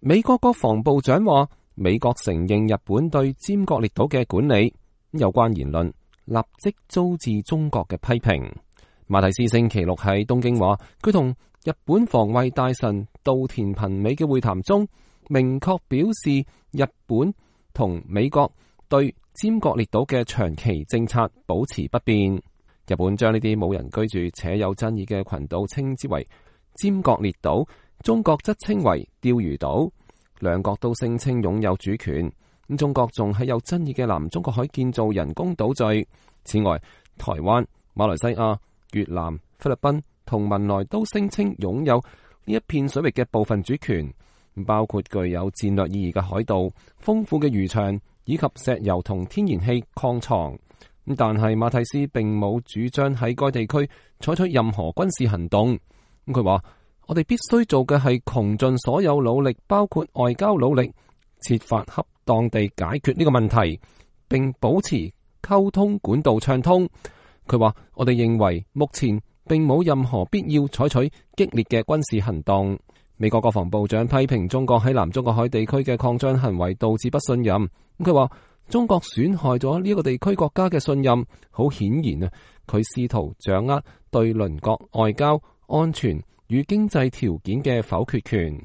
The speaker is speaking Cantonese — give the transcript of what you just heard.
美國國防部長話，美國承認日本對尖閣列島嘅管理，有關言論立即遭致中國嘅批評。馬蒂斯星期六喺東京話，佢同日本防衛大臣稻田朋美嘅會談中，明確表示日本同美國對尖閣列島嘅長期政策保持不變。日本將呢啲冇人居住且有爭議嘅群島稱之為尖閣列島，中國則稱為釣魚島。兩國都聲稱擁有主權。中國仲喺有爭議嘅南中國海建造人工島嶼。此外，台灣、馬來西亞、越南、菲律賓同文萊都聲稱擁有呢一片水域嘅部分主權，包括具有戰略意義嘅海盜、豐富嘅漁場以及石油同天然氣礦藏。但係馬蒂斯並冇主張喺該地區採取任何軍事行動。佢話：我哋必須做嘅係窮盡所有努力，包括外交努力，設法恰當地解決呢個問題，並保持溝通管道暢通。佢話：我哋認為目前並冇任何必要採取激烈嘅軍事行動。美國國防部長批評中國喺南中國海地區嘅擴張行為導致不信任。佢話：中國損害咗呢個地區國家嘅信任，好顯然啊，佢試圖掌握對鄰國外交、安全與經濟條件嘅否決權。